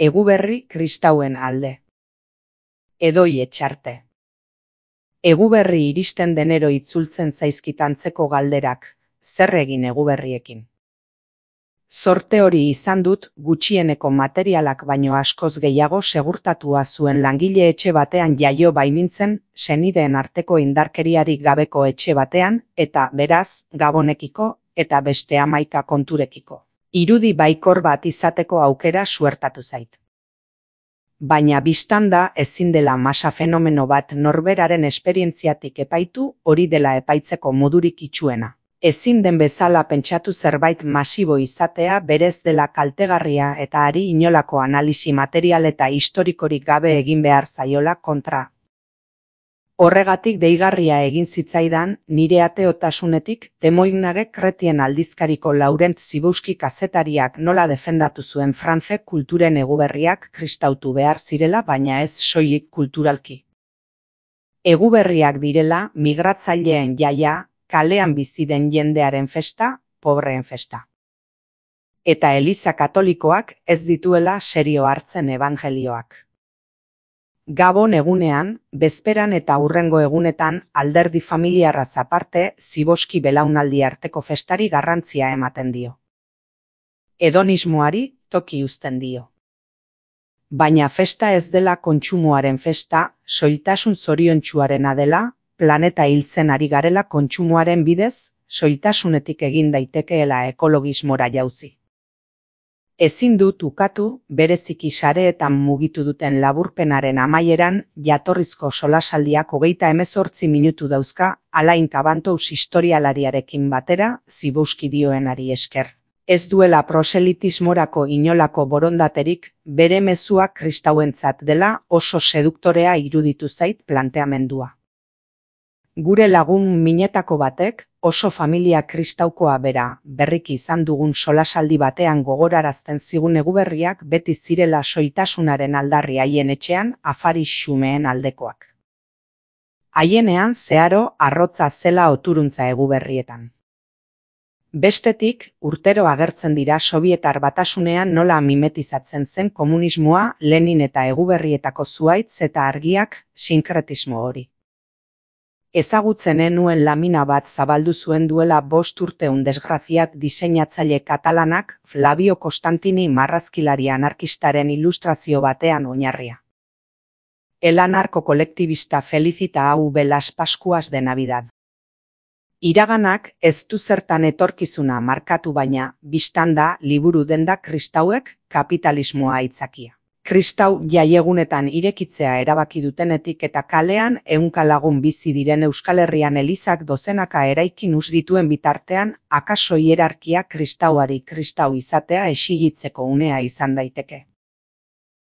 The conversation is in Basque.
Eguberri kristauen alde. Edoi etxarte. Eguberri iristen denero itzultzen zaizkit antzeko galderak, zer egin eguberriekin. Zorte hori izan dut, gutxieneko materialak baino askoz gehiago segurtatua zuen langile etxe batean jaio bainintzen, senideen arteko indarkeriarik gabeko etxe batean, eta beraz, gabonekiko, eta beste 11 konturekiko. Irudi baikor bat izateko aukera suertatu zait. Baina biztanda ezin dela masa fenomeno bat norberaren esperientziatik epaitu, hori dela epaitzeko modurik itsuena. Ezin den bezala pentsatu zerbait masibo izatea berez dela kaltegarria eta hari inolako analisi material eta historikorik gabe egin behar zaiola kontra. Horregatik deigarria egin zitzaidan, nire ateotasunetik, Temoignage Kretien aldizkariko Laurent Zibouski kazetariak nola defendatu zuen Frantze kulturen eguberriak kristautu behar zirela, baina ez soilik kulturalki. Eguberriak direla, migratzaileen jaia, kalean bizi den jendearen festa, pobreen festa. Eta Eliza Katolikoak ez dituela serio hartzen ebangelioak. Gabon egunean, bezperan eta hurrengo egunetan alderdi familiarraz aparte Zibouski belaunaldi arteko festari garrantzia ematen dio. Hedonismoari toki uzten dio. Baina festa ez dela kontsumoaren festa, soiltasun zoriontsuarena dela, planeta hiltzen ari garela kontsumoaren bidez, soiltasunetik egin daitekeela ekologismora jauzi. Ezin dut ukatu, bereziki sareetan mugitu duten laburpenaren amaieran, jatorrizko solasaldiak 38 minutu dauzka, Alain Cabantous historialariarekin batera, Zibouski dioenari esker. Ez duela proselitismorako inolako borondaterik, bere mezuak kristauentzat dela oso seduktorea iruditu zait planteamendua. Gure lagun minetako batek, oso familia kristaukoa bera, berriki izan dugun solasaldi batean gogorarazten zigun eguberriak beti zirela soitasunaren aldarri haien etxean afari xumeen aldekoak. Haienean zeharo arrotza zela oturuntza eguberrietan. Bestetik, urtero agertzen dira Sobietar Batasunean nola mimetizatzen zen komunismoa, Lenin eta eguberrietako zuhaitz eta argiak, sinkretismo hori. Ezagutzen nuen lamina bat zabaldu zuen duela 5 urte desgraziat diseinatzaile katalanak Flavio Costantini marrazkilari anarkistaren ilustrazio batean oinarria. El anarko kolektibista felicita AV las Pascuas de Navidad. Iraganak ez du zertan etorkizuna markatu baina, biztanda liburu denda kristauek kapitalismoa aitzakia. Kristau jaiegunetan irekitzea erabaki dutenetik eta kalean 100 lagun bizi diren Euskal Herrian elizak dozenaka eraikin us dituen bitartean, akaso hierarkia kristauari kristau izatea exigitzeko unea izan daiteke.